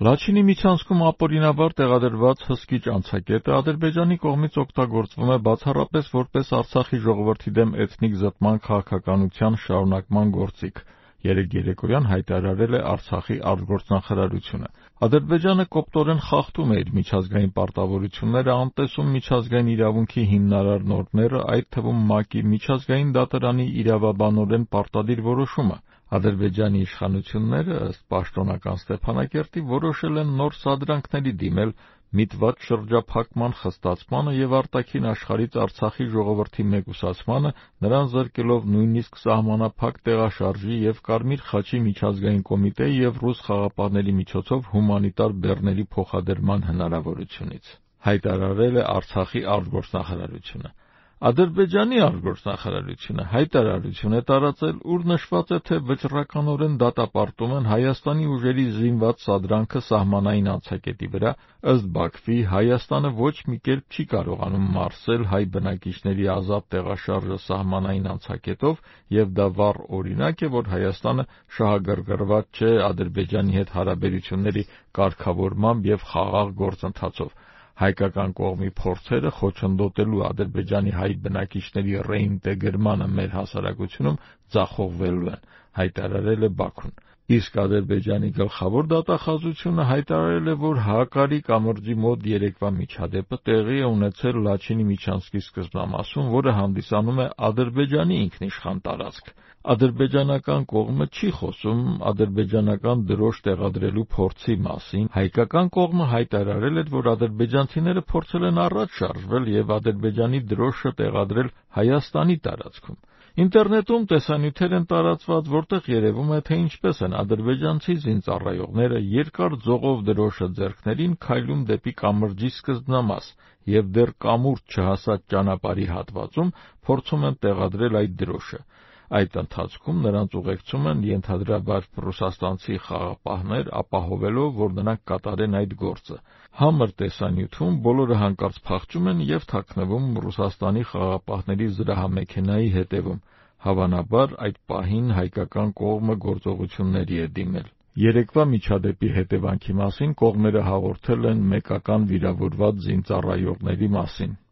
Լաչինի միջանցքում ապօրինաբար տեղադրված հսկիչ անցակետը Ադրբեջանի կողմից օգտագործվում է բացառապես որպես Արցախի ժողովրդի դեմ էթնիկ զտման քաղաքականության շարունակման գործիք, երեկ երեկոյան հայտարարել է Արցախի արտգործնախարարությունը։ Ադրբեջանը կոպտորեն խախտում է իր միջազգային պարտավորությունները, անտեսում միջազգային իրավունքի հիմնարար նորմերը, այդ թվում ՄԱԿ-ի միջազգային դատարանի իրավաբանորեն պարտադիր որոշումը։ Ադրբեջանի իշխանությունները, ըստ պաշտոնական Ստեփանակերտի, որոշել են նոր սադրանքների դիմել միտված շրջափակման խստացմանը և արտաքին աշխարհից Արցախի ժողովրդի մեկուսացմանը, նրան զրկելով նույնիսկ սահմանափակ տեղաշարժի և Կարմիր խաչի միջազգային կոմիտեի և ռուս խաղապահների միջոցով հումանիտար բեռների փոխադրման հնարավորությունից, հայտարարել է Արցախի արտգործնախարարությունը։ Ադրբեջանի արտգործնախարարությունը հայտարարություն է տարածել, ուր նշված է, թե վճռականորեն դատապարտում են Հայաստանի ուժերի զինված սադրանքը սահմանային անցակետի վրա, ըստ Բաքվի, Հայաստանը ոչ մի կերպ չի կարողանում մարսել հայ բնակիչների ազատ տեղաշարժը սահմանային անցակետով, և դա վառ օրինակ է, որ Հայաստանը շահագրգռված չէ Ադրբեջանի հետ հարաբերությունների կարգավորմամբ և խաղաղ գործընթացով։ Հայկական կողմի փորձերը խոչընդոտելու Ադրբեջանի հայ բնակիչների ռեինտեգրմանը մեր հասարակությունում ձախողվելու են, հայտարարել է Բաքուն։ Իսկ Ադրբեջանի գլխավոր դատախազությունը հայտարարել է, որ Հակարի կամրջի մոտ երեկվա միջադեպը տեղի է ունեցել Լաչինի միջանցքի սկզբնամասում, որը հանդիսանում է Ադրբեջանի ինքնիշխան տարածք։ Ադրբեջանական կողմը չի խոսում ադրբեջանական դրոշ տեղադրելու փորձի մասին։ Հայկական կողմը հայտարարել էր, որ ադրբեջանցիները փորձել են առաջ շարժվել և Ադրբեջանի դրոշը տեղադրել Հայաստանի տարածքում։ Ինտերնետում տեսանյութեր են տարածված, որտեղ երևում է, թե ինչպես են ադրբեջանցի զինծառայողները երկար ձողով դրոշը ձեռքներին քայլում դեպի կամրջի սկզբնամաս և դեռ կամուրջ չհասած ճանապարհի հատվածում փորձում են տեղադրել այդ դրոշը։ Այդ ընթացքում նրանց ուղեկցում են ենթադրաբար ռուսաստանցի խաղապահներ, ապահովելով, որ նրանք կատարեն այդ գործը։ Համր տեսանյութում բոլորը հանկարծ փախչում են և թաքնվում Ռուսաստանի խաղապահների զրահամեքենայի հետևում։ Հավանաբար այդ պահին հայկական կողմը գործողությունների է դիմել։ Երեկվա միջադեպի հետևանքի մասին կողմերը հաղորդել են մեկական վիրավորված զինծառայողների մասին։